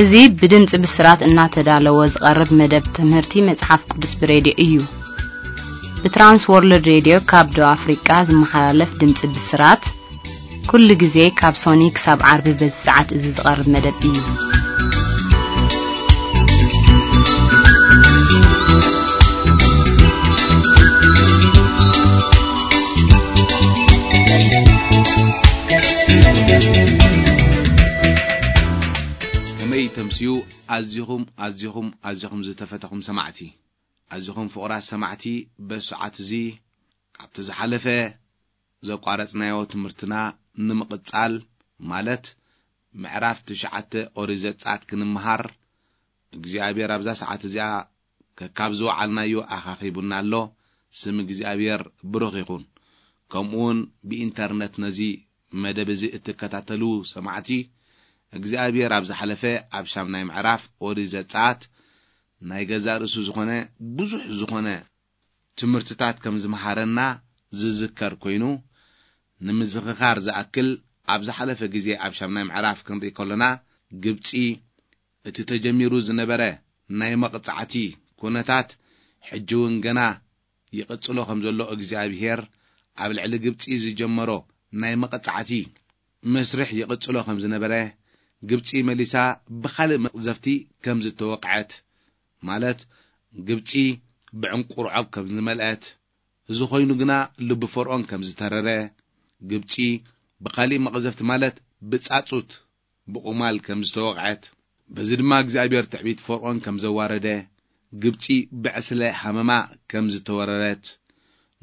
እዚ ብድምጺ ብስራት እናተዳለወ ዝቐርብ መደብ ትምህርቲ መጽሓፍ ቅዱስ ብሬድዮ እዩ። ብትራንስ ወርልድ ሬድዮ ካብ ደቡብ ኣፍሪቃ ዝመሓላለፍ ድምጺ ብስራት፣ ኩሉ ግዜ ካብ ሶኒ ክሳብ ዓርቢ በዚ ሰዓት እዚ ዝቐርብ መደብ እዩ። ከመይ ተምስዩ? ኣዚኹም፣ ኣዚኹም፣ ኣዚኹም ዝተፈተኹም ሰማዕቲ፣ ኣዚኹም ፍቑራት ሰማዕቲ፣ በዚ ሰዓት እዚ ካብቲ ዝሓለፈ ዘቋረጽናዮ ትምህርትና ንምቕጻል፣ ማለት ምዕራፍ ትሽዓተ ኦሪት ዘጸኣት ክንምሃር፣ እግዚኣብሔር ኣብዛ ሰዓት እዚኣ ከካብ ዝወዓልናዮ ኣኻኺቡና ኣሎ። ስም እግዚኣብሔር ብሩኽ ይኹን። ከምኡውን ብኢንተርነት ነዚ መደብ እዚ እትከታተሉ ሰማዕቲ፣ እግዚኣብሔር ኣብ ዝሓለፈ ኣብ ሻምናይ ምዕራፍ ኦሪት ዘጸኣት ናይ ገዛእ ርእሱ ዝኾነ ብዙሕ ዝኾነ ትምህርትታት ከም ዝመሃረና ዝዝከር ኮይኑ፣ ንምዝኽኻር ዝኣክል፣ ኣብ ዝሓለፈ ግዜ ኣብ ሻምናይ ምዕራፍ ክንርኢ ከሎና፣ ግብጺ እቲ ተጀሚሩ ዝነበረ ናይ መቕጻዕቲ ኩነታት፣ ሕጂ እውን ገና ይቕጽሎ ከም ዘሎ፣ እግዚኣብሄር ኣብ ልዕሊ ግብጺ ዝጀመሮ ናይ መቕጻዕቲ መስርሕ ይቕጽሎ ከም ዝነበረ፣ ግብጺ መሊሳ ብኻልእ መቕዘፍቲ ከም ዝተወቕዐት፣ ማለት ግብጺ ብዕንቁርዖብ ከም ዝመልአት፣ እዚ ኾይኑ ግና ልቢ ፈርዖን ከም ዝተረረ፣ ግብጺ ብኻልእ መቕዘፍቲ ማለት ብጻጹት ብቑማል ከም ዝተወቕዐት፣ በዚ ድማ እግዚኣብሔር ትዕቢት ፈርዖን ከም ዘዋረደ፣ ግብጺ ብዕስለ ሃመማ ከም ዝተወረረት፣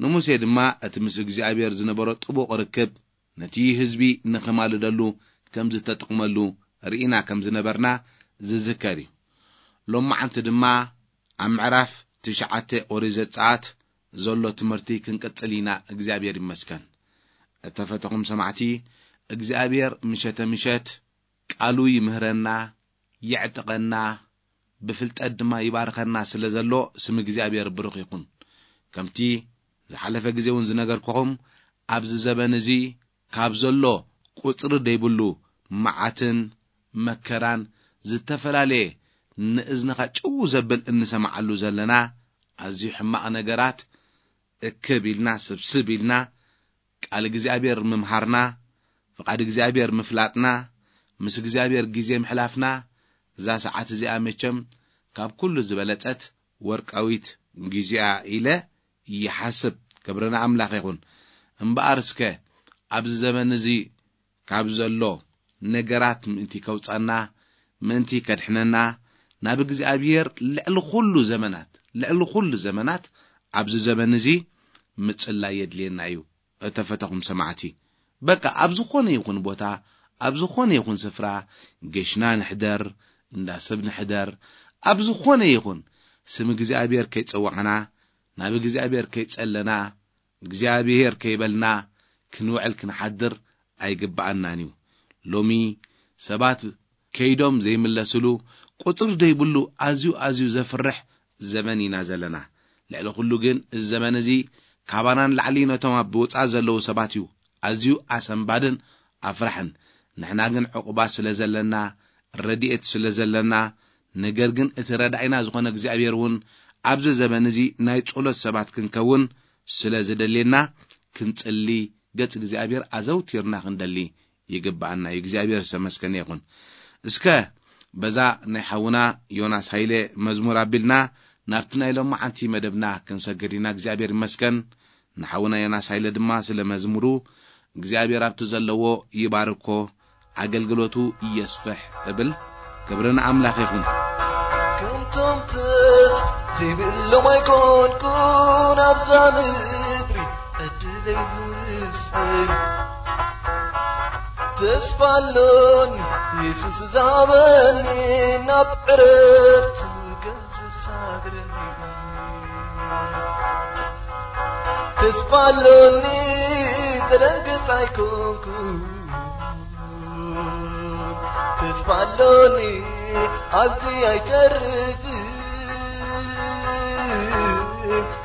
ንሙሴ ድማ እቲ ምስ እግዚኣብሔር ዝነበሮ ጥቡቕ ርክብ ነቲ ህዝቢ ንኽማልደሉ ከም ዝተጠቕመሉ ርኢና ከም ዝነበርና ዝዝከር እዩ። ሎማዓንቲ ድማ ኣብ ምዕራፍ ትሽዓተ ኦሪት ዘጸኣት ዘሎ ትምህርቲ ክንቅጽል ኢና። እግዚኣብሔር ይመስገን። እተፈተኹም ሰማዕቲ፣ እግዚኣብሔር ምሸተ ምሸት ቃሉ ይምህረና፣ የዕጥቐና፣ ብፍልጠት ድማ ይባርኸና ስለ ዘሎ ስም እግዚኣብሔር ብሩኽ ይኹን። ከምቲ ዝሓለፈ ግዜ እውን ዝነገርኩኹም፣ ኣብዚ ዘበን እዚ ካብ ዘሎ ቁጽሪ ደይብሉ መዓትን መከራን ዝተፈላለየ ንእዝንኻ ጭው ዘብል እንሰማዓሉ ዘለና ኣዝዩ ሕማቕ ነገራት እክብ ኢልና ስብስብ ኢልና ቃል እግዚኣብሔር ምምሃርና፣ ፍቓድ እግዚኣብሔር ምፍላጥና፣ ምስ እግዚኣብሔር ግዜ ምሕላፍና፣ እዛ ሰዓት እዚኣ መቸም ካብ ኩሉ ዝበለጸት ወርቃዊት ግዜኣ ኢለ ይሓስብ። ክብሪ ንኣምላኽ ይኹን። እምበኣር እስከ ኣብዚ ዘመን እዚ ካብ ዘሎ ነገራት ምእንቲ ከውጻና፣ ምእንቲ ከድሕነና፣ ናብ እግዚኣብሔር ልዕሊ ኩሉ ዘመናት፣ ልዕሊ ኩሉ ዘመናት ኣብዚ ዘመን እዚ ምጽላይ የድልየና እዩ። እተፈተኹም ሰማዕቲ፣ በቃ ኣብ ዝኾነ ይኹን ቦታ፣ ኣብ ዝኾነ ይኹን ስፍራ፣ ገሽና ንሕደር፣ እንዳ ሰብ ንሕደር፣ ኣብ ዝኾነ ይኹን ስም እግዚኣብሔር ከይጸዋዕና፣ ናብ እግዚኣብሔር ከይጸለና፣ እግዚኣብሔር ከይበልና ክንውዕል ክንሓድር ኣይግብኣናን እዩ። ሎሚ ሰባት ከይዶም ዘይምለስሉ፣ ቁጽሪ ዘይብሉ ኣዝዩ ኣዝዩ ዘፍርሕ ዘመን ኢና ዘለና። ልዕሊ ኩሉ ግን እዚ ዘመን እዚ ካባና ንላዕሊ ነቶም ኣብ ወጻኢ ዘለዉ ሰባት እዩ ኣዝዩ ኣሰንባድን ኣፍራሕን። ንሕና ግን ዕቑባ ስለ ዘለና፣ ረድኤት ስለ ዘለና፣ ነገር ግን እቲ ረዳኢና ዝኾነ እግዚኣብሔር እውን ኣብዚ ዘመን እዚ ናይ ጸሎት ሰባት ክንከውን ስለ ዝደልየና፣ ክንጽሊ፣ ገጽ እግዚኣብሔር ኣዘውቲርና ክንደሊ ይግብኣና እዩ። እግዚኣብሔር ዝተመስገነ ይኹን። እስከ በዛ ናይ ሓውና ዮናስ ሃይለ መዝሙር ኣቢልና ናብቲ ናይ ሎማዓንቲ መደብና ክንሰግድ ኢና። እግዚኣብሔር ይመስገን። ንሓውና ዮናስ ሃይለ ድማ ስለ መዝሙሩ፣ እግዚኣብሔር ኣብቲ ዘለዎ ይባርኮ፣ ኣገልግሎቱ የስፍሕ እብል። ክብሪ ንኣምላኽ ይኹን። ከምቶም ተስፋ ዘይብሎም ኣይኮንኩን ኣብዛ ምድሪ ዕድለይ ዝውስን። ተስፋ ኣሎኒ የሱስ ዝሃበኒ ናብ ዕረፍቱ ከም ዘሳግረኒ። ተስፋ ኣሎኒ ዘደንግጽ ኣይኮንኩ፣ ተስፋ ኣሎኒ፣ ኣብዚ ኣይተርፍን።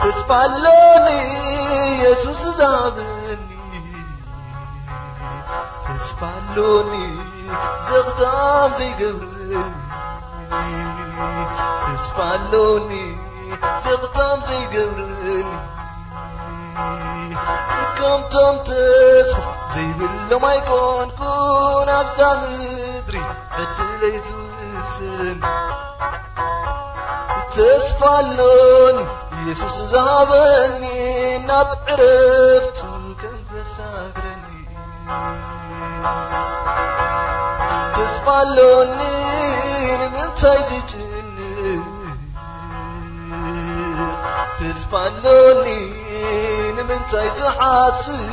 ተስፋ ኣሎኒ፣ የሱስ ዝሃበኒ። ተስፋ ኣሎኒ፣ ዘኽታም ዘይገብረኒ። ተስፋ ኣሎኒ፣ ዘኽታም ዘይገብረኒ። ከምቶም ተስፋ ዘይብሎም ኣይኮንኩን ኣብዛ ምድሪ ዕድለይ ዝውስን። ተስፋ ኣሎኒ፣ የሱስ ዝሃበኒ፣ ናብ ዕረፍቱ ከም ዘሳግረኒ። ተስፋ ኣሎኒ፣ ንምንታይ ዝጭንቕ? ተስፋ ኣሎኒ፣ ንምንታይ ዝሓስብ?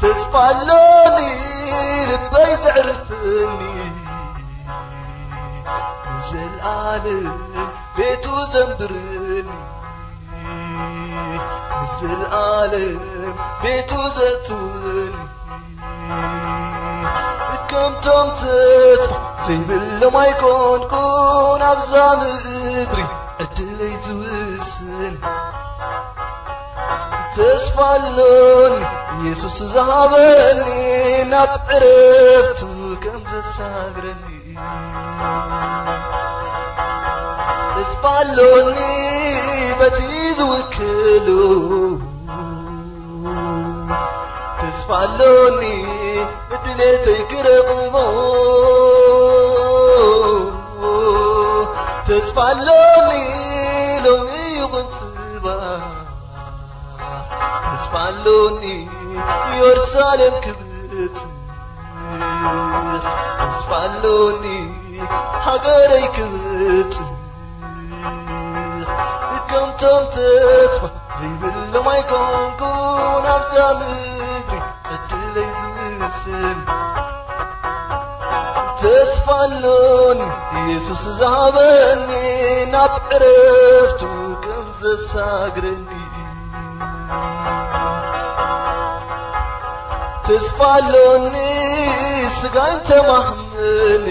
ተስፋ ኣሎኒ፣ ልበይ ዘዕርፈኒ፣ ንዘለኣለም ቤቱ ዘንብረኒ፣ ንዘለኣለም ቤቱ ዘእትወኒ። ከምቶም ተስፋ ዘይብሎም ኣይኮንኩን ኣብዛ ምድሪ ዕድለይ ዝውስን። ተስፋ ኣሎኒ፣ የሱስ ዝሃበኒ፣ ናብ ዕረፍቱ ከም ዘሳግረኒ። ተስፋ ኣሎኒ፣ በቲ ዝውክሉ። ተስፋ ኣሎኒ፣ እድሌተይ ክረኽቦ። ተስፋ ኣሎኒ፣ ሎሚ ይኹን ጽባሕ። ተስፋ ኣሎኒ፣ ኢየሩሳሌም ክብጽሕ። ተስፋ ኣሎኒ፣ ሃገረይ ክብጽሕ። ከምቶም ተስፋ ዘይብሎም ኣይኮንኩን ኣብዛ ምድሪ ዕድለይ ዝውስን። ተስፋ ኣሎኒ፣ የሱስ ዝሃበኒ፣ ናብ ዕረፍቱ ከም ዘሳግረኒ። ተስፋ ኣሎኒ፣ ስጋይ ተማህመኒ።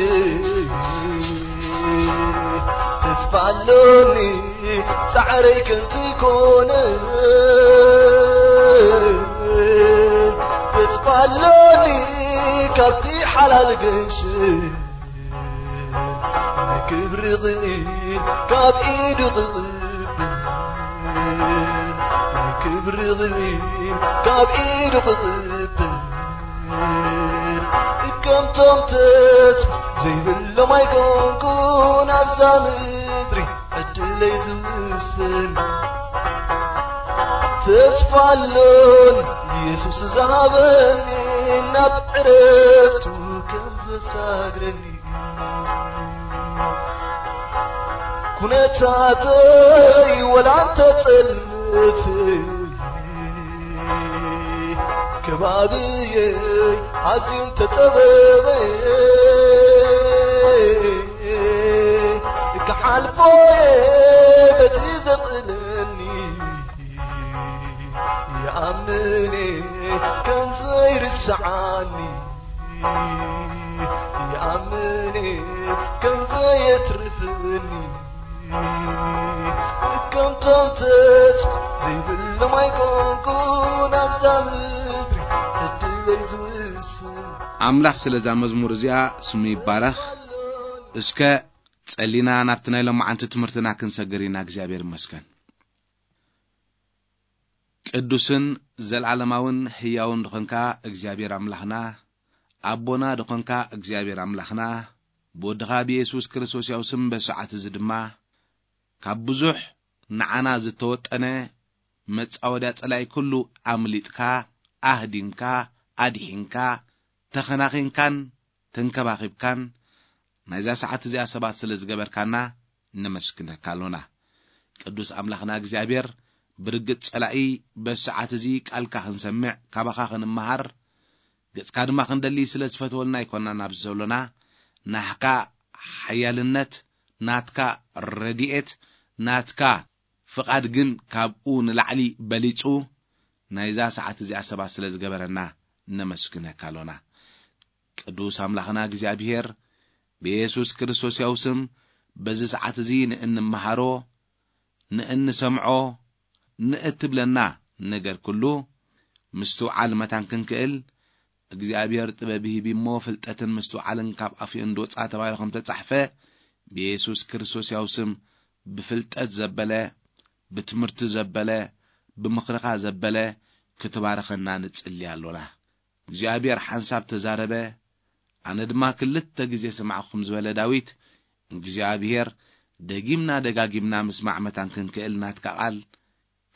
ተስፋ ኣሎኒ፣ ጻዕረይ ከንቱ ኣይኮነን። ተስፋ ኣሎኒ፣ ካብቲ ሓላል ገንሽል፣ ንክብሪ ኽእል ካብ ኢዱ ክቕብል፣ ንክብሪ ኽእል ካብ ኢዱ ክቕብል። ከምቶም ተስፋ ዘይብሎም ኣይኮንኩን ኣብዛ ምድሪ ዕድለይ ዝውስን። ተስፋ ኣሎኒ፣ የሱስ ዝሃበኒ፣ ናብ ዕረፍቱ ከም ዘሳግረኒ። ኩነታተይ ወላ እንተጸልመት፣ ከባብየይ ኣዝዩ እንተጸበበ፣ ክሓልፎ እየ በቲ ዘቕልለኒ። ይኣምን እየ ከም ዘይርስዓኒ፣ ይኣምን እየ ከም ዘየትርፍኒ። ከምቶም ተስፋ ዘይብሎም ኣይኮንኩን ኣብዛ ምድሪ ዕድለይ ዝውስን። ኣምላኽ ስለዛ መዝሙር እዚኣ ስሙ ይባረኽ። እስከ ጸሊና ናብቲ ናይ ሎማዓንቲ ትምህርትና ክንሰግር ኢና። እግዚኣብሔር ይመስገን። ቅዱስን ዘልዓለማውን ህያውን ድኾንካ እግዚኣብሔር ኣምላኽና፣ ኣቦና ድኾንካ እግዚኣብሔር ኣምላኽና፣ ብወድኻ ብየሱስ ክርስቶስ ያው ስም በሰዓት እዚ ድማ ካብ ብዙሕ ንዓና ዝተወጠነ መጻወድያ ጸላኢ ኩሉ ኣምሊጥካ፣ ኣህዲንካ፣ ኣድሒንካ፣ ተኸናኺንካን ተንከባኺብካን ናይዛ ሰዓት እዚኣ ሰባት ስለ ዝገበርካና ነመስግነካ ኣሎና። ቅዱስ ኣምላኽና እግዚኣብሔር፣ ብርግጽ ጸላኢ በዚ ሰዓት እዚ ቃልካ ክንሰምዕ፣ ካባኻ ክንመሃር፣ ገጽካ ድማ ክንደሊ ስለ ዝፈትወልና ኣይኮናን ኣብዚ ዘሎና። ናህካ ሓያልነት፣ ናትካ ረድኤት፣ ናትካ ፍቓድ ግን ካብኡ ንላዕሊ በሊጹ፣ ናይዛ ሰዓት እዚኣ ሰባት ስለ ዝገበረና ነመስግነካ ኣሎና። ቅዱስ ኣምላኽና እግዚኣብሔር፣ ብየሱስ ክርስቶስ ያው ስም በዚ ሰዓት እዚ ንእንመሃሮ፣ ንእንሰምዖ፣ ንእትብለና ነገር ኩሉ ምስትውዓል መታን ክንክእል እግዚኣብሔር ጥበብ ሂቢ እሞ፣ ፍልጠትን ምስትውዓልን ካብ ኣፍኡ እንድወጻ ተባሂሉ ከም ተጻሕፈ፣ ብየሱስ ክርስቶስ ያው ስም ብፍልጠት ዘበለ፣ ብትምህርቲ ዘበለ፣ ብምኽርኻ ዘበለ ክትባርኸና ንጽሊ ኣሎና። እግዚኣብሔር ሓንሳብ ተዛረበ፣ ኣነ ድማ ክልተ ግዜ ሰማዕኹ ከም ዝበለ ዳዊት፣ እግዚኣብሔር ደጊምና ደጋጊምና ምስማዕ መታን ክንክእል ናትካ ቃል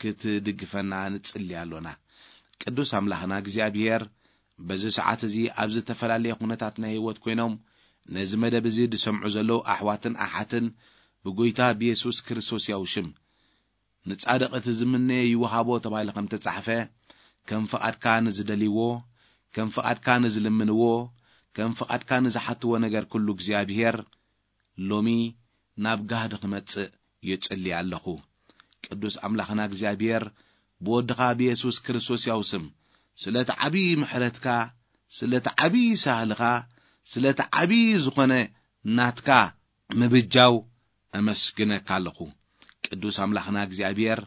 ክትድግፈና ንጽሊ ኣሎና። ቅዱስ ኣምላኽና እግዚኣብሔር፣ በዚ ሰዓት እዚ ኣብ ዝተፈላለየ ኩነታት ናይ ህይወት ኮይኖም ነዚ መደብ እዚ ዝሰምዑ ዘለዉ ኣሕዋትን ኣሓትን ብጎይታ ብየሱስ ክርስቶስ ያው ሽም፣ ንጻድቕ እቲ ዝምነዮ ይወሃቦ ተባሂሉ ከም ተጻሕፈ፣ ከም ፍቓድካ ንዝደልይዎ፣ ከም ፍቓድካ ንዝልምንዎ፣ ከም ፍቓድካ ንዝሓትዎ ነገር ኩሉ እግዚኣብሔር ሎሚ ናብ ጋህዲ ክመጽእ ይጽሊ ኣለኹ። ቅዱስ ኣምላኽና እግዚኣብሔር፣ ብወድኻ ብየሱስ ክርስቶስ ያው ስም፣ ስለቲ ዓብዪ ምሕረትካ፣ ስለቲ ዓብዪ ሳህልኻ፣ ስለቲ ዓብዪ ዝኾነ ናትካ ምብጃው እመስግነካ ኣለኹ። ቅዱስ ኣምላኽና እግዚኣብሔር፣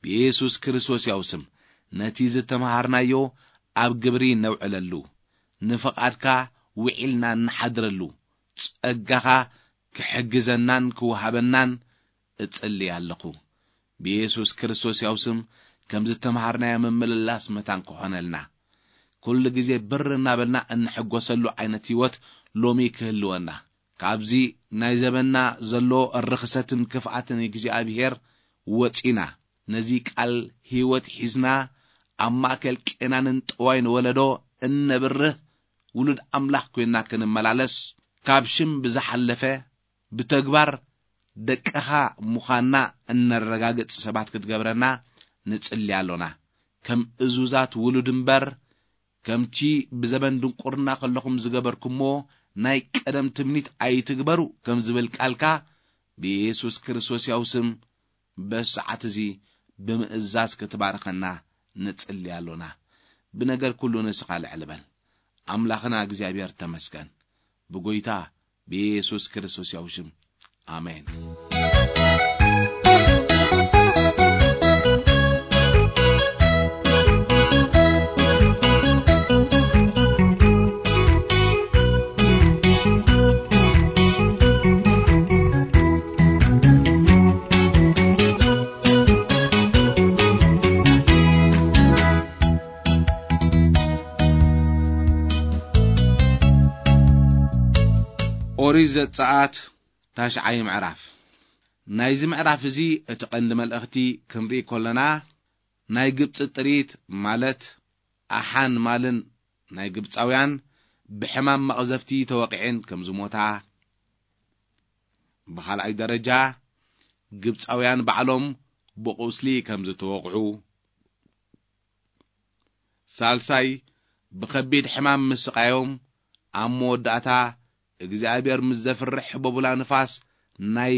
ብየሱስ ክርስቶስ ያው ስም፣ ነቲ ዝተምሃርናዮ ኣብ ግብሪ ነውዕለሉ፣ ንፍቓድካ ውዒልና እንሓድረሉ፣ ጸጋኻ ክሕግዘናን ክወሃበናን እጽሊ ኣለኹ። ብየሱስ ክርስቶስ ያው ስም፣ ከም ዝተምሃርናዮ ምምልላስ መታን ክኾነልና፣ ኩሉ ግዜ ብር እናበልና እንሕጎሰሉ ዓይነት ህይወት ሎሚ ክህልወና፣ ካብዚ ናይ ዘበንና ዘሎ ርኽሰትን ክፍኣትን እግዚኣብሔር ወጺና፣ ነዚ ቃል ህይወት ሒዝና፣ ኣብ ማእከል ቄናንን ጠዋይን ወለዶ እነብርህ ውሉድ ኣምላኽ ኮይንና ክንመላለስ፣ ካብ ሽም ብዝሓለፈ ብተግባር ደቅኻ ምዃንና እነረጋግጽ ሰባት ክትገብረና ንጽሊ ኣሎና። ከም እዙዛት ውሉድ እምበር፣ ከምቲ ብዘበን ድንቁርና ከለኹም ዝገበርኩሞ ናይ ቀደም ትምኒት ኣይትግበሩ ከም ዝብል ቃልካ፣ ብየሱስ ክርስቶስ ያው ስም በዚ ሰዓት እዚ ብምእዛዝ ክትባርኸና ንጽሊ ኣሎና። ብነገር ኩሉ ንስኻ ልዕል በል። ኣምላኽና እግዚኣብሔር ተመስገን። ብጎይታ ብየሱስ ክርስቶስ ያው ሽም፣ ኣሜን። ኦሪት ዘጸኣት ታሽዓይ ምዕራፍ። ናይዚ ምዕራፍ እዚ እቲ ቀንዲ መልእኽቲ ክንርኢ ከለና፣ ናይ ግብጺ ጥሪት ማለት ኣሓን ማልን ናይ ግብጻውያን ብሕማም መቕዘፍቲ ተወቒዐን ከም ዝሞታ፣ ብኻልኣይ ደረጃ ግብጻውያን ባዕሎም ብቑስሊ ከም ዝተወቕዑ፣ ሳልሳይ ብኸቢድ ሕማም ምስቓዮም ኣብ መወዳእታ እግዚኣብሔር ምስ ዘፍርሕ ህቦብላ ንፋስ ናይ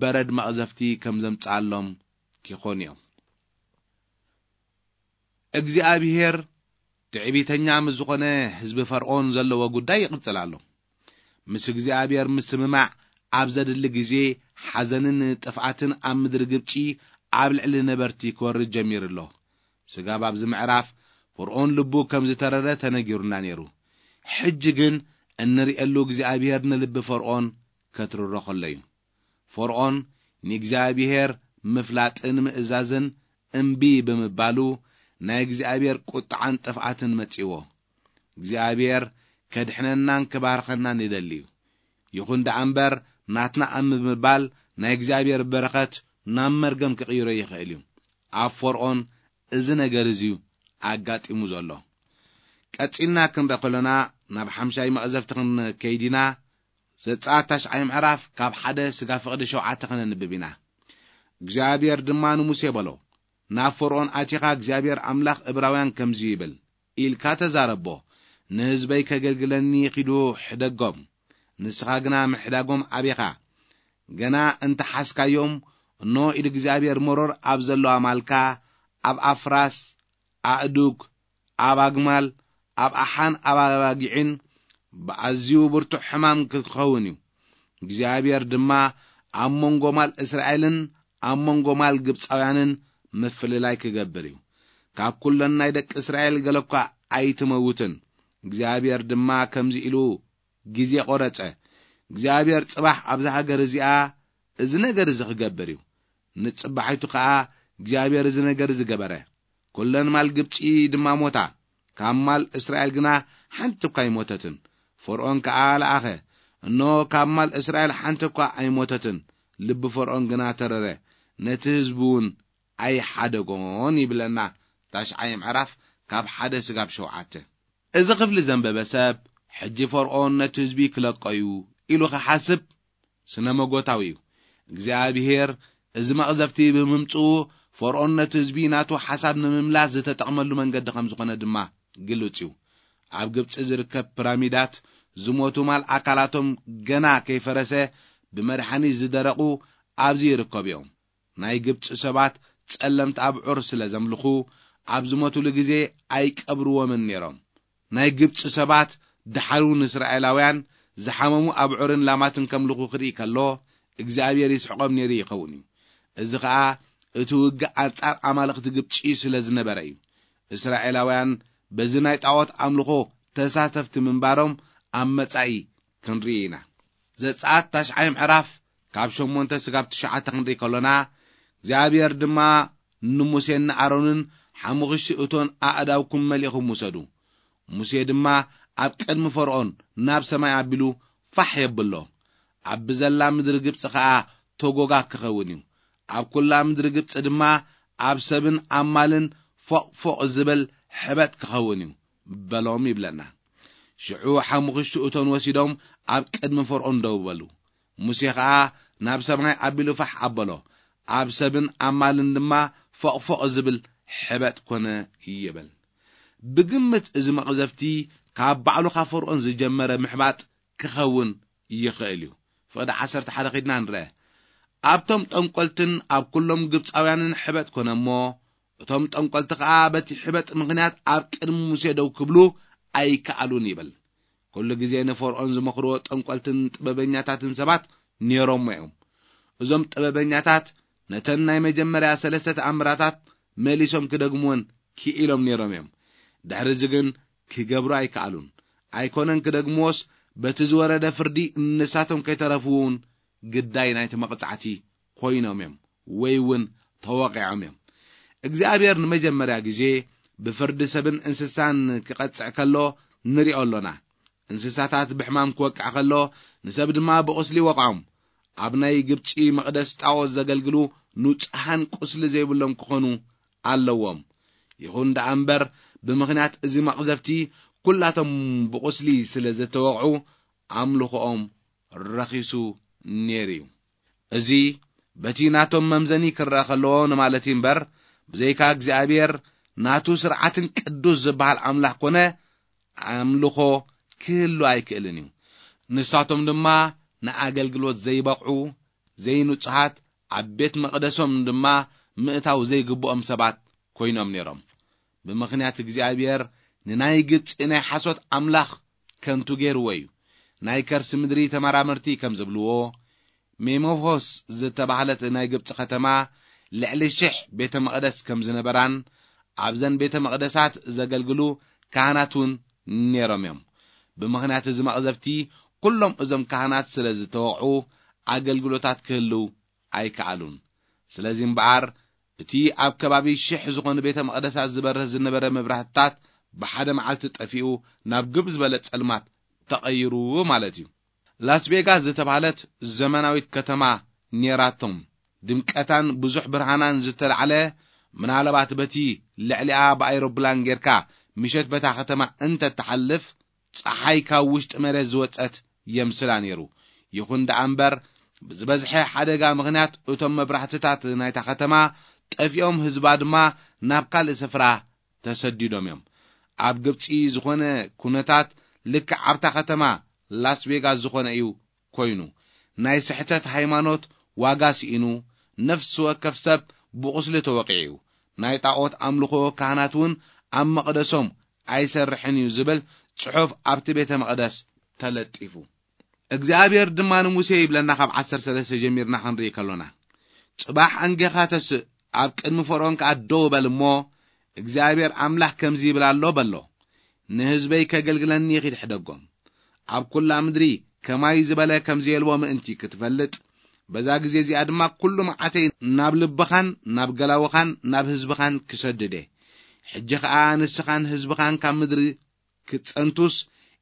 በረድ መቕዘፍቲ ከም ዘምጽኣሎም ኪኾኑ እዮም። እግዚኣብሔር ትዕቢተኛ ምስ ዝኾነ ህዝቢ ፈርዖን ዘለዎ ጉዳይ ይቕጽል ኣሎ። ምስ እግዚኣብሔር ምስምማዕ ኣብ ዘድሊ ግዜ፣ ሓዘንን ጥፍኣትን ኣብ ምድሪ ግብጺ ኣብ ልዕሊ ነበርቲ ክወርድ ጀሚሩ ኣሎ። ስጋብ ኣብዚ ምዕራፍ ፈርዖን ልቡ ከም ዝተረረ ተነጊሩና ነይሩ። ሕጂ ግን እንርእየሉ እግዚኣብሔር ንልቢ ፈርዖን ከትርሮ ከሎ እዩ። ፈርዖን ንእግዚኣብሔር ምፍላጥን ምእዛዝን እምቢ ብምባሉ ናይ እግዚኣብሔር ቁጥዓን ጥፍኣትን መጺዎ። እግዚኣብሔር ከድሕነናን ክባርኸናን ይደሊ እዩ። ይኹን ደኣ እምበር ናትና ኣብ ምባል ናይ እግዚኣብሔር በረኸት ናብ መርገም ክቕይሮ ይኽእል እዩ። ኣብ ፈርዖን እዚ ነገር እዚ እዩ ኣጋጢሙ ዘሎ። ቀጺልና ክንርኢ ከለና ናብ ሓምሻይ መቕዘፍቲ ክንከይድ ኢና። ዘጸኣት ታሽዓይ ምዕራፍ ካብ ሓደ ስጋ ፍቕዲ ሸውዓተ ከነንብብ ኢና። እግዚኣብሔር ድማ ንሙሴ በሎ፣ ናብ ፈርዖን ኣቲኻ እግዚኣብሔር ኣምላኽ እብራውያን ከምዚ ይብል ኢልካ ተዛረቦ፣ ንህዝበይ ከገልግለኒ ኺዱ ሕደጎም። ንስኻ ግና ምሕዳጎም ኣቤኻ። ገና እንተ ሓዝካዮም፣ እኖ ኢድ እግዚኣብሔር መሮር ኣብ ዘለዋ ማልካ፣ ኣብ ኣፍራስ፣ ኣእዱግ፣ ኣብ ኣግማል፣ ኣብ ኣሓን ኣብ ኣባጊዕን ብኣዝዩ ብርቱዕ ሕማም ክኸውን እዩ። እግዚኣብሔር ድማ ኣብ መንጎ ማል እስራኤልን ኣብ መንጎ ማል ግብፃውያንን ምፍልላይ ክገብር እዩ። ካብ ኩለን ናይ ደቂ እስራኤል ገለ እኳ ኣይትመውትን። እግዚኣብሔር ድማ ከምዚ ኢሉ ግዜ ቆረጸ። እግዚኣብሔር ጽባሕ ኣብዛ ሃገር እዚኣ እዚ ነገር እዚ ክገብር እዩ። ንጽባሒቱ ከኣ እግዚኣብሔር እዚ ነገር እዚ ገበረ። ኩለን ማል ግብጺ ድማ ሞታ። ካብ ማል እስራኤል ግና ሓንቲ እኳ ኣይሞተትን። ፈርኦን ከኣ ለኣኸ። እነሆ ካብ ማል እስራኤል ሓንቲ እኳ ኣይሞተትን። ልቢ ፈርኦን ግና ተረረ። ነቲ ህዝቢ እውን ኣይሓደጎን ይብለና። ታሽዓይ ምዕራፍ ካብ ሓደ ስጋብ ሸውዓተ። እዚ ክፍሊ ዘንበበ ሰብ፣ ሕጂ ፈርኦን ነቲ ህዝቢ ክለቆ እዩ ኢሉ ክሓስብ ስነ መጎታዊ እዩ። እግዚኣብሔር እዚ መቕዘፍቲ ብምምጽኡ፣ ፈርኦን ነቲ ህዝቢ ናቱ ሓሳብ ንምምላስ ዝተጠቕመሉ መንገዲ ከም ዝኾነ ድማ ግሉጽ እዩ። ኣብ ግብጺ ዝርከብ ፒራሚዳት ዝሞቱ ማል ኣካላቶም ገና ከይፈረሰ ብመድሓኒት ዝደረቑ ኣብዚ ይርከቡ እዮም። ናይ ግብጺ ሰባት ጸለምቲ ኣብዑር ስለ ዘምልኹ፣ ኣብ ዝሞቱሉ ግዜ ኣይቀብርዎምን ነይሮም። ናይ ግብጺ ሰባት ደሓር እውን እስራኤላውያን ዝሓመሙ ኣብዑርን ላማትን ከምልኹ ክርኢ ከሎ፣ እግዚኣብሔር ይስሕቖም ነይሩ ይኸውን እዩ። እዚ ኸኣ እቲ ውግእ ኣንጻር ኣማልኽቲ ግብጺ ስለ ዝነበረ እዩ። እስራኤላውያን በዚ ናይ ጣዖት ኣምልኾ ተሳተፍቲ ምንባሮም ኣብ መጻኢ ክንርኢ ኢና። ዘጸኣት ታሽዓይ ምዕራፍ ካብ ሸሞንተ ስጋብ ትሽዓተ ክንርኢ ከሎና፣ እግዚኣብሔር ድማ ንሙሴን ንኣሮንን፣ ሓሙኽሽቲ እቶን ኣእዳውኩም መሊእኹም ውሰዱ። ሙሴ ድማ ኣብ ቅድሚ ፈርኦን ናብ ሰማይ ኣቢሉ ፋሕ የብሎ። ኣብ ብዘላ ምድሪ ግብጺ ኸኣ ተጎጋ ክኸውን እዩ። ኣብ ኩላ ምድሪ ግብጺ ድማ ኣብ ሰብን ኣብ ማልን ፎቕ ፎቕ ዝብል ሕበጥ ክኸውን እዩ በሎም ይብለና። ሽዑ ሓሙኽሽቲ እቶን ወሲዶም ኣብ ቅድሚ ፈርኦን ደው በሉ። ሙሴ ኸኣ ናብ ሰማይ ኣቢሉ ፋሕ ኣበሎ። ኣብ ሰብን ኣብ ማልን ድማ ፎቕ ፎቕ ዝብል ሕበጥ ኮነ ይብል። ብግምት እዚ መቕዘፍቲ ካብ ባዕሉ ካብ ፈርኦን ዝጀመረ ምሕባጥ ክኸውን ይኽእል እዩ። ፍቕዲ ዓሰርተ ሓደ ኺድና ንርአ። ኣብቶም ጠንቆልትን ኣብ ኩሎም ግብጻውያንን ሕበጥ ኮነ እሞ፣ እቶም ጠንቆልቲ ኸኣ በቲ ሕበጥ ምኽንያት ኣብ ቅድሚ ሙሴ ደው ክብሉ ኣይከኣሉን ይብል። ኩሉ ግዜ ንፈርኦን ዝመኽርዎ ጠንቆልትን ጥበበኛታትን ሰባት ነይሮሞ እዮም። እዞም ጥበበኛታት ነተን ናይ መጀመርያ ሰለስተ ተኣምራታት መሊሶም ክደግምወን ክኢሎም ነይሮም እዮም። ድሕሪ እዚ ግን ክገብሩ ኣይከኣሉን። ኣይኮነን ክደግምዎስ፣ በቲ ዝወረደ ፍርዲ ንሳቶም ከይተረፉ እውን ግዳይ ናይቲ መቕጻዕቲ ኮይኖም እዮም፣ ወይ እውን ተወቒዖም እዮም። እግዚኣብሔር ንመጀመርያ ግዜ ብፍርዲ ሰብን እንስሳን ክቐጽዕ ከሎ ንሪኦ ኣሎና። እንስሳታት ብሕማም ክወቅዕ ከሎ፣ ንሰብ ድማ ብቑስሊ ይወቕዖም። ኣብ ናይ ግብጺ መቕደስ ጣዖት ዘገልግሉ ንጹሓን ቁስሊ ዘይብሎም ክኾኑ ኣለዎም። ይኹን ደኣ እምበር፣ ብምኽንያት እዚ መቕዘፍቲ ኩላቶም ብቑስሊ ስለ ዝተወቕዑ፣ ኣምልኾኦም ረኺሱ ነይሩ እዩ። እዚ በቲ ናቶም መምዘኒ ክረአ ከለዎ ንማለት እዩ እምበር፣ ብዘይካ እግዚኣብሔር ናቱ ስርዓትን ቅዱስ ዝበሃል ኣምላኽ ኮነ ኣምልኾ ክህሉ ኣይክእልን እዩ። ንሳቶም ድማ ንኣገልግሎት ዘይበቕዑ፣ ዘይንጹሃት፣ ኣብ ቤት መቕደሶም ድማ ምእታው ዘይግብኦም ሰባት ኮይኖም ነይሮም። ብምኽንያት እግዚኣብሔር ንናይ ግብጺ ናይ ሓሶት ኣምላኽ ከንቱ ገይርዎ እዩ። ናይ ከርሲ ምድሪ ተመራመርቲ ከም ዝብልዎ፣ ሜሞፎስ ዝተባህለት ናይ ግብጺ ከተማ ልዕሊ ሽሕ ቤተ መቕደስ ከም ዝነበራን ኣብዘን ቤተ መቕደሳት ዘገልግሉ ካህናት እውን ነይሮም እዮም። ብምኽንያት እዚ መቕዘፍቲ ኩሎም እዞም ካህናት ስለ ዝተወቕዑ ኣገልግሎታት ክህልው ኣይከኣሉን። ስለዚ እምበኣር እቲ ኣብ ከባቢ ሽሕ ዝኾኑ ቤተ መቕደሳት ዝበርህ ዝነበረ መብራህትታት ብሓደ መዓልቲ ጠፊኡ ናብ ግብ ዝበለ ጸልማት ተቐይሩ ማለት እዩ። ላስ ቬጋስ ዝተባህለት ዘመናዊት ከተማ ኔራቶም ድምቀታን ብዙሕ ብርሃናን ዝተላዕለ፣ ምናልባት በቲ ልዕሊኣ ብኣይሮፕላን ጌርካ ምሸት በታ ከተማ እንተትሓልፍ፣ ጸሓይ ካብ ውሽጢ መሬት ዝወጸት የምስላ ነይሩ። ይኹን ደኣ እምበር፣ ብዝበዝሐ ሓደጋ ምኽንያት እቶም መብራህትታት ናይታ ከተማ ጠፊኦም፣ ህዝባ ድማ ናብ ካልእ ስፍራ ተሰዲዶም እዮም። ኣብ ግብጺ ዝኾነ ኩነታት ልክዕ ኣብታ ከተማ ላስ ቬጋስ ዝኾነ እዩ ኮይኑ። ናይ ስሕተት ሃይማኖት ዋጋ ስኢኑ፣ ነፍሲ ወከፍ ሰብ ብቑስሊ ተወቒዑ እዩ። ናይ ጣዖት ኣምልኾ ካህናት እውን ኣብ መቕደሶም ኣይሰርሕን እዩ ዝብል ጽሑፍ ኣብቲ ቤተ መቕደስ ተለጢፉ። እግዚኣብሔር ድማ ንሙሴ ይብለና፣ ካብ ዓሰርተ ሰለስተ ጀሚርና ክንርኢ ከሎና፣ "ጽባሕ ኣንጌኻ ተስእ፣ ኣብ ቅድሚ ፈርኦን ከኣ ደው በል እሞ፣ እግዚኣብሔር ኣምላኽ ከምዚ ይብል ኣሎ" በሎ። "ንህዝበይ ከገልግለኒ ኺድ ሕደጎም። ኣብ ኩላ ምድሪ ከማይ ዝበለ ከም ዘየልቦ ምእንቲ ክትፈልጥ፣ በዛ ግዜ እዚኣ ድማ ኩሉ መዓተይ ናብ ልብኻን ናብ ገላውኻን ናብ ህዝብኻን ክሰድድ እየ። ሕጂ ኸኣ ንስኻን ህዝብኻን ካብ ምድሪ ክትጸንቱስ፣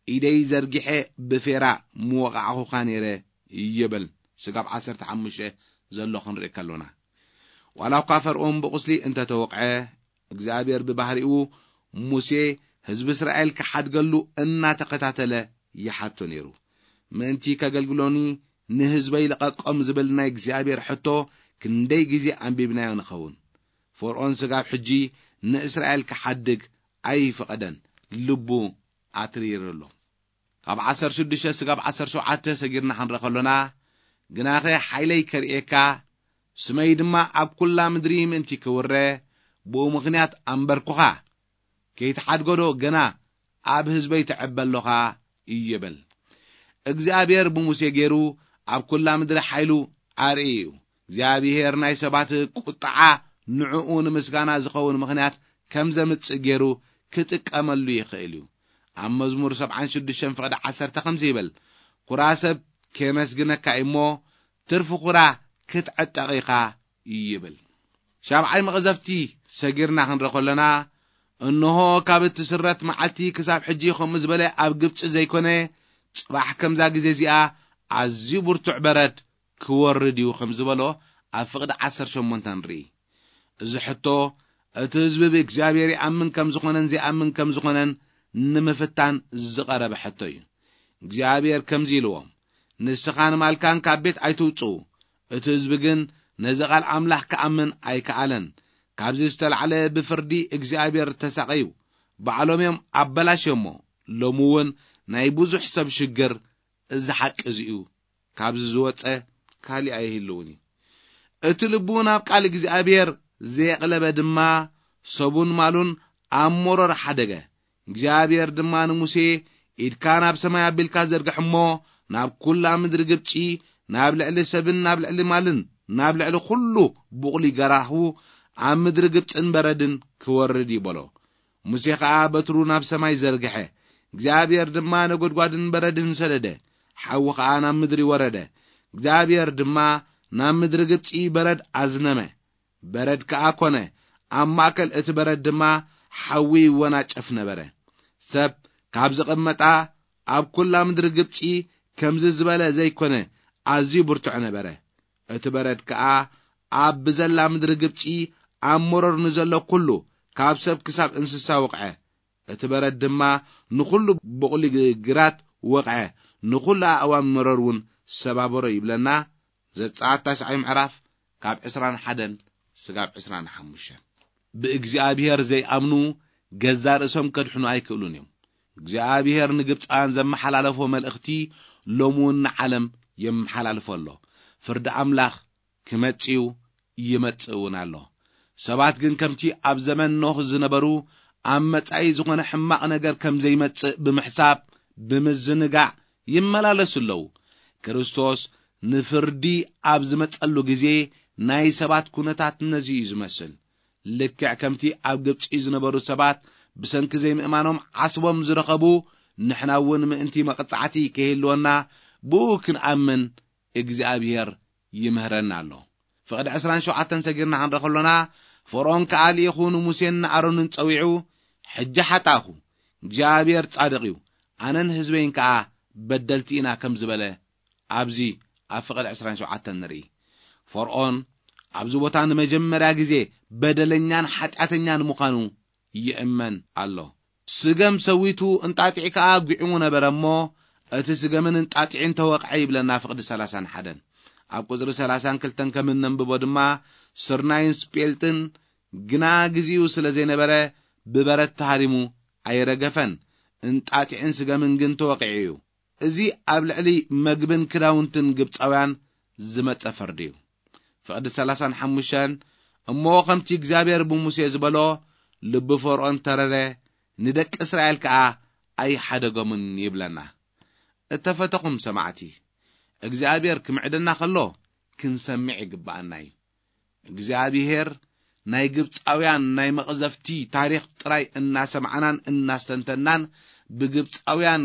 ኢደይ ዘርጊሐ ብፌራ ምወቓዕኹኻ ነይረ" ይብል። ስጋብ ዓሰርተ ሓሙሽተ ዘሎ ክንርኢ ከሎና፣ ዋላ እኳ ፈርኦን ብቑስሊ እንተተወቕዐ፣ እግዚኣብሔር ብባህሪኡ ሙሴ ህዝቢ እስራኤል ክሓድገሉ እናተኸታተለ ይሓቶ ነይሩ። "ምእንቲ ከገልግሎኒ ንህዝበይ ልቐቆም" ዝብል ናይ እግዚኣብሔር ሕቶ ክንደይ ግዜ ኣንቢብናዮ ንኸውን። ፈርኦን ስጋብ ሕጂ ንእስራኤል ክሓድግ ኣይፈቐደን፣ ልቡ ኣትሪሩ ኣሎ። ካብ ዓሰርተ ሽዱሽተ ስጋብ ዓሰርተ ሸውዓተ ሰጊርና ክንረ ከሎና፣ "ግናኸ ሓይለይ ከርእየካ፣ ስመይ ድማ ኣብ ኩላ ምድሪ ምእንቲ ክውረ፣ ብኡ ምኽንያት ኣንበርኩኻ። ከይትሓድጎዶ ገና ኣብ ህዝበይ ትዕበ ኣሎኻ?" ይብል። እግዚኣብሔር ብሙሴ ገይሩ ኣብ ኩላ ምድሪ ሓይሉ ኣርኢ እዩ። እግዚኣብሔር ናይ ሰባት ቁጥዓ ንዕኡ ንምስጋና ዝኸውን ምኽንያት ከም ዘምጽእ ገይሩ ክጥቀመሉ ይኽእል እዩ። ኣብ መዝሙር ሰብዓን ሽዱሽተን ፍቕዲ ዓሰርተ ከምዚ ይብል፣ "ኩራ ሰብ ከመስግነካ እዩ እሞ፣ ትርፊ ኩራ ክትዕጠቕ ኢኻ" ይብል። ሻብዓይ መቕዘፍቲ ሰጊርና ክንረ ከሎና፣ "እንሆ ካብ እትስረት መዓልቲ ክሳብ ሕጂ ከምኡ ዝበለ ኣብ ግብጺ ዘይኮነ፣ ጽባሕ ከምዛ ግዜ እዚኣ ኣዝዩ ብርቱዕ በረድ ክወርድ እዩ" ከም ዝበሎ ኣብ ፍቕዲ ዓሰርተ ሸሞንተ ንርኢ። እዚ ሕቶ፣ እቲ ህዝቢ ብእግዚኣብሔር ይኣምን ከም ዝኾነን ዘይኣምን ከም ዝኾነን ንምፍታን ዝቐረበ ሕቶ እዩ። እግዚኣብሔር ከምዚ ኢልዎም፣ "ንስኻን ማልካን ካብ ቤት ኣይትውጽኡ።" እቲ ህዝቢ ግን ነዚ ቃል ኣምላኽ ክኣምን ኣይከኣለን። ካብዚ ዝተላዕለ ብፍርዲ እግዚኣብሔር ተሳቐዩ። ባዕሎም እዮም ኣበላሽዮሞ። ሎሚ እውን ናይ ብዙሕ ሰብ ሽግር እዚ ሓቂ እዚ እዩ። ካብዚ ዝወጸ ካሊእ ኣይህልውን እዩ። እቲ ልቡ ናብ ቃል እግዚኣብሔር ዘየቕለበ ድማ ሰቡን ማሉን ኣብ መሮር ሓደገ። እግዚኣብሔር ድማ ንሙሴ፣ "ኢድካ ናብ ሰማይ ኣቢልካ ዘርግሕ እሞ፣ ናብ ኩላ ምድሪ ግብጺ፣ ናብ ልዕሊ ሰብን ናብ ልዕሊ ማልን ናብ ልዕሊ ኩሉ ቡቕሊ ገራሁ ኣብ ምድሪ ግብጽን በረድን ክወርድ" ይበሎ። ሙሴ ኸኣ በትሩ ናብ ሰማይ ዘርግሐ። እግዚኣብሔር ድማ ነጎድጓድን በረድን ሰደደ። ሓዊ ኸኣ ናብ ምድሪ ወረደ። እግዚኣብሔር ድማ ናብ ምድሪ ግብጺ በረድ ኣዝነመ። በረድ ከኣ ኰነ። ኣብ ማእከል እቲ በረድ ድማ ሓዊ ይወናጨፍ ነበረ። ሰብ ካብ ዝቕመጣ ኣብ ኵላ ምድሪ ግብጺ ከምዚ ዝበለ ዘይኮነ፣ ኣዝዩ ብርቱዕ ነበረ። እቲ በረድ ከኣ ኣብ ብዘላ ምድሪ ግብጺ ኣብ መሮር ንዘሎ ኵሉ፣ ካብ ሰብ ክሳብ እንስሳ ወቕዐ። እቲ በረድ ድማ ንኹሉ ብቑሊ ግ-፣ ግራት ወቕዐ፣ ንኹሉ ኣእዋም መሮር እውን ሰባበሮ ይብለና። ዘጸኣት ታሽዓይ ምዕራፍ ካብ ዕስራን ሓደን ስጋብ ዕስራን ሓሙሽተን። ብእግዚኣብሔር ዘይኣምኑ ገዛ ርእሶም ከድሕኑ ኣይክእሉን እዮም። እግዚኣብሔር ንግብፃውያን ዘመሓላለፎ መልእኽቲ ሎሚ እውን ንዓለም የመሓላልፎ ኣሎ። ፍርዲ ኣምላኽ ክመጽእ እዩ፣ ይመጽእ እውን ኣሎ። ሰባት ግን ከምቲ ኣብ ዘመን ኖህ ዝነበሩ ኣብ መጻኢ ዝኾነ ሕማቕ ነገር ከም ዘይመጽእ ብምሕሳብ፣ ብምዝንጋዕ ይመላለሱ ኣለዉ። ክርስቶስ ንፍርዲ ኣብ ዝመጸሉ ግዜ ናይ ሰባት ኩነታት ነዚ እዩ ዝመስል። ልክዕ ከምቲ ኣብ ግብጺ ዝነበሩ ሰባት ብሰንኪ ዘይምእማኖም ዓስቦም ዝረኸቡ፣ ንሕና እውን ምእንቲ መቕጻዕቲ ከይህልወና ብኡ ክንኣምን እግዚኣብሔር ይምህረና ኣሎ። ፍቕዲ ዕስራን ሸውዓተን ሰጊርና ክንረ ከሎና፣ ፈርዖን ከኣ ልኢኹ ንሙሴን ንኣሮንን ጸዊዑ፣ "ሕጂ ሓጣእኹ፣ እግዚኣብሔር ጻድቕ እዩ፣ ኣነን ህዝበይን ከኣ በደልቲ ኢና" ከም ዝበለ ኣብዚ ኣብ ፍቕዲ ዕስራን ሸውዓተን ንርኢ። ፈርዖን ኣብዚ ቦታ ንመጀመርያ ግዜ በደለኛን ሓጢኣተኛን ምዃኑ ይእመን ኣሎ። ስገም ሰዊቱ እንጣጢዕ ከኣ ጒዕሙ ነበረ እሞ፣ እቲ ስገምን እንጣጢዕን ተወቕዐ ይብለና ፍቕዲ ሰላሳን ሓደን። ኣብ ቁጽሪ ሰላሳን ክልተን ከም እነንብቦ ድማ፣ ስርናይን ስጴልጥን ግና ግዜኡ ስለ ዘይነበረ ብበረድ ተሃሪሙ ኣይረገፈን፣ እንጣጢዕን ስገምን ግን ተወቒዑ እዩ። እዚ ኣብ ልዕሊ መግብን ክዳውንትን ግብጻውያን ዝመጸ ፍርዲ እዩ። ፍቕዲ ሰላሳን ሓሙሽተን፣ እሞ ከምቲ እግዚኣብሔር ብሙሴ ዝበሎ፣ ልቢ ፈርኦን ተረረ፣ ንደቂ እስራኤል ከኣ ኣይሓደጎምን ይብለና። እተፈተኹም ሰማዕቲ፣ እግዚኣብሔር ክምዕደና ከሎ ክንሰምዕ ይግብኣና እዩ። እግዚኣብሔር ናይ ግብፃውያን ናይ መቕዘፍቲ ታሪኽ ጥራይ እናሰማዕናን እናስተንተናን፣ ብግብፃውያን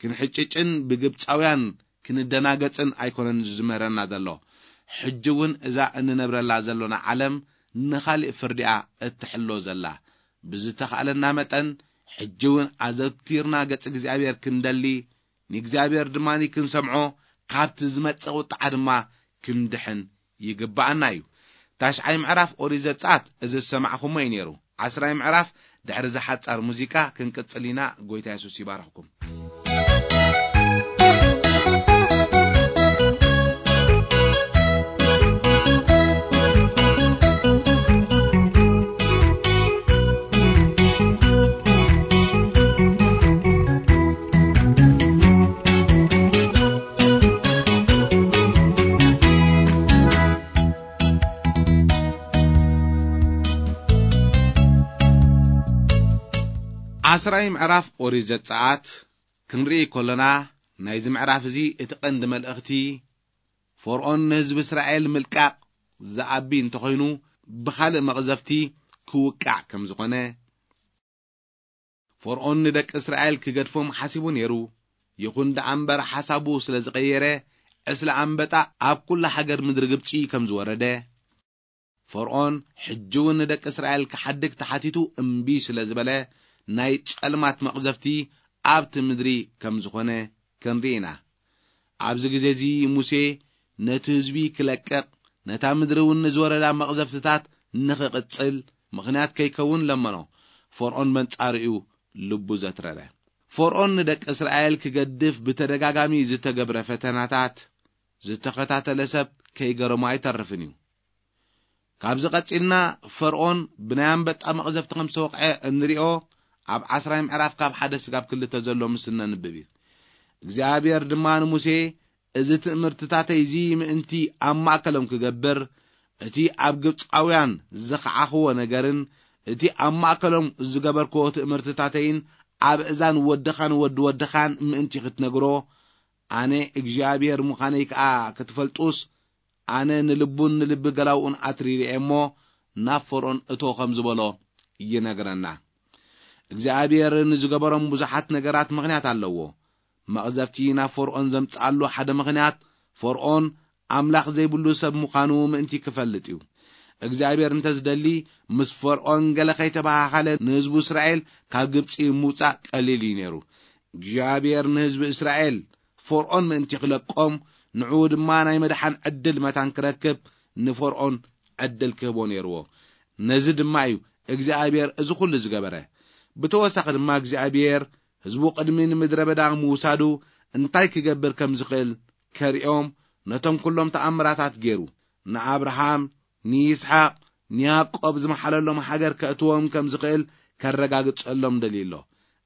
ክንሕጭጭን ብግብፃውያን ክንደናገጽን ኣይኮነን ዝምህረና ዘሎ። ሕጂ እውን እዛ እንነብረላ ዘሎና ዓለም ንኻሊእ ፍርዲኣ እትሕሎ ዘላ። ብዝተኻእለና መጠን ሕጂ እውን ኣዘውቲርና ገጽ እግዚኣብሔር ክንደሊ፣ ንእግዚኣብሔር ድማ ክንሰምዖ፣ ካብቲ ዝመጽእ ቁጥዓ ድማ ክንድሕን ይግብኣና እዩ። ታሽዓይ ምዕራፍ ኦሪት ዘጸኣት እዚ ዝሰማዕኹሞ እዩ ነይሩ። ዓስራይ ምዕራፍ ድሕሪ እዚ ሓጻር ሙዚቃ ክንቅጽል ኢና። ጎይታ የሱስ ይባርኽኩም። ዓስራይ ምዕራፍ ኦሪት ዘጸኣት ክንርኢ ከሎና፣ ናይዚ ምዕራፍ እዚ እቲ ቀንዲ መልእኽቲ፣ ፈርኦን ንህዝቢ እስራኤል ምልቃቕ ዝኣቢ እንተኾይኑ፣ ብኻልእ መቕዘፍቲ ክውቃዕ ከም ዝኾነ፣ ፈርኦን ንደቂ እስራኤል ክገድፎም ሓሲቡ ነይሩ። ይኹን ደኣ እምበር፣ ሓሳቡ ስለ ዝቐየረ፣ ዕስለ ኣንበጣ ኣብ ኩላ ሃገር ምድሪ ግብጺ ከም ዝወረደ፣ ፈርኦን ሕጂ እውን ንደቂ እስራኤል ክሓድግ ተሓቲቱ እምቢ ስለ ዝበለ፣ ናይ ጸልማት መቕዘፍቲ ኣብቲ ምድሪ ከም ዝኾነ ክንርኢ ኢና። ኣብዚ ግዜ እዚ ሙሴ ነቲ ህዝቢ ክለቅቕ፣ ነታ ምድሪ እውን ንዝወረዳ መቕዘፍትታት ንኽቕጽል ምኽንያት ከይከውን ለመኖ። ፈርኦን በንጻሩ እዩ ልቡ ዘትረረ። ፈርኦን ንደቂ እስራኤል ክገድፍ ብተደጋጋሚ ዝተገብረ ፈተናታት ዝተኸታተለ ሰብ ከይገረሞ ኣይተርፍን እዩ። ካብዚ ቀጺልና ፈርኦን ብናይ ኣንበጣ መቕዘፍቲ ከም ዝተወቕዐ እንሪኦ ኣብ ዓስራይ ምዕራፍ ካብ ሓደ ስጋብ ክልተ ዘሎ ምስ እነንብብ እዩ። እግዚኣብሔር ድማ ንሙሴ፣ "እዚ ትእምርትታተይ እዚ ምእንቲ ኣብ ማእከሎም ክገብር፣ እቲ ኣብ ግብጻውያን ዝኸዓኽዎ ነገርን እቲ ኣብ ማእከሎም ዝገበርክዎ ትእምርትታተይን ኣብ እዛን ወድኻን ወዲ ወድኻን ምእንቲ ክትነግሮ፣ ኣነ እግዚኣብሔር ምዃነይ ከኣ ክትፈልጡስ፣ ኣነ ንልቡን ንልቢ ገላውኡን ኣትሪረ እየ እሞ ናብ ፈርኦን እቶ" ከም ዝበሎ ይነግረና። እግዚኣብሔር ንዝገበሮም ብዙሓት ነገራት ምኽንያት ኣለዎ። መቕዘፍቲ ናብ ፈርኦን ዘምጽኣሉ ሓደ ምኽንያት፣ ፈርኦን ኣምላኽ ዘይብሉ ሰብ ምዃኑ ምእንቲ ክፈልጥ እዩ። እግዚኣብሔር እንተ ዝደሊ፣ ምስ ፈርኦን ገለ ከይተባሃሃለ ንህዝቡ እስራኤል ካብ ግብጺ ምውጻእ ቀሊል እዩ ነይሩ። እግዚኣብሔር ንህዝቢ እስራኤል ፈርኦን ምእንቲ ክለቆም፣ ንዕኡ ድማ ናይ መድሓን ዕድል መታን ክረክብ ንፈርኦን ዕድል ክህቦ ነይርዎ። ነዚ ድማ እዩ እግዚኣብሔር እዚ ኩሉ ዝገበረ። ብተወሳኺ ድማ እግዚኣብሔር ህዝቡ ቅድሚ ንምድረ በዳ ምውሳዱ እንታይ ክገብር ከም ዝኽእል ከርእዮም ነቶም ኩሎም ተኣምራታት ገይሩ፣ ንኣብርሃም፣ ንይስሓቅ፣ ንያዕቆብ ዝመሓለሎም ሃገር ከእትዎም ከም ዝኽእል ከረጋግጸሎም ደልዩ ኣሎ።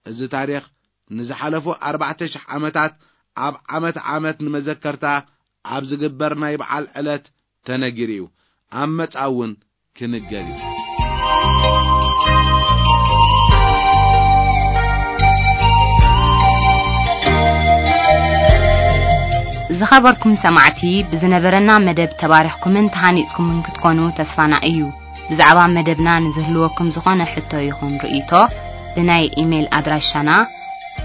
እዚ ታሪኽ ንዝሓለፉ ኣርባዕተ ሽሕ ዓመታት ኣብ ዓመት ዓመት ንመዘከርታ ኣብ ዝግበር ናይ በዓል ዕለት ተነጊሩ እዩ። ኣብ መጻ እውን ክንገር እዩ። ዝኸበርኩም ሰማዕቲ፣ ብዝነበረና መደብ ተባሪኽኩምን ተሃኒጽኩምን ክትኮኑ ተስፋና እዩ። ብዛዕባ መደብና ንዝህልወኩም ዝኾነ ሕቶ ይኹን ርእይቶ፣ ብናይ ኢሜይል ኣድራሻና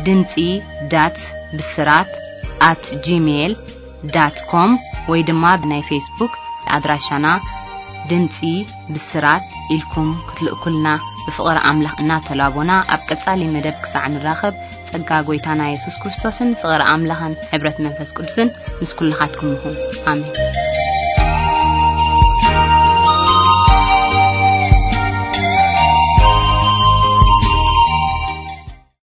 ድምጺ ዳት ብስራት ኣት ጂሜይል ዳት ኮም ወይ ድማ ብናይ ፌስቡክ ኣድራሻና ድምጺ ብስራት ኢልኩም ክትልእኩልና ብፍቕሪ ኣምላኽ እናተላቦና፣ ኣብ ቀጻሊ መደብ ክሳዕ ንራኸብ፣ ጸጋ ጐይታና የሱስ ክርስቶስን ፍቕሪ ኣምላኽን ሕብረት መንፈስ ቅዱስን ምስ ኩልኻትኩም ይኹን። ኣሜን።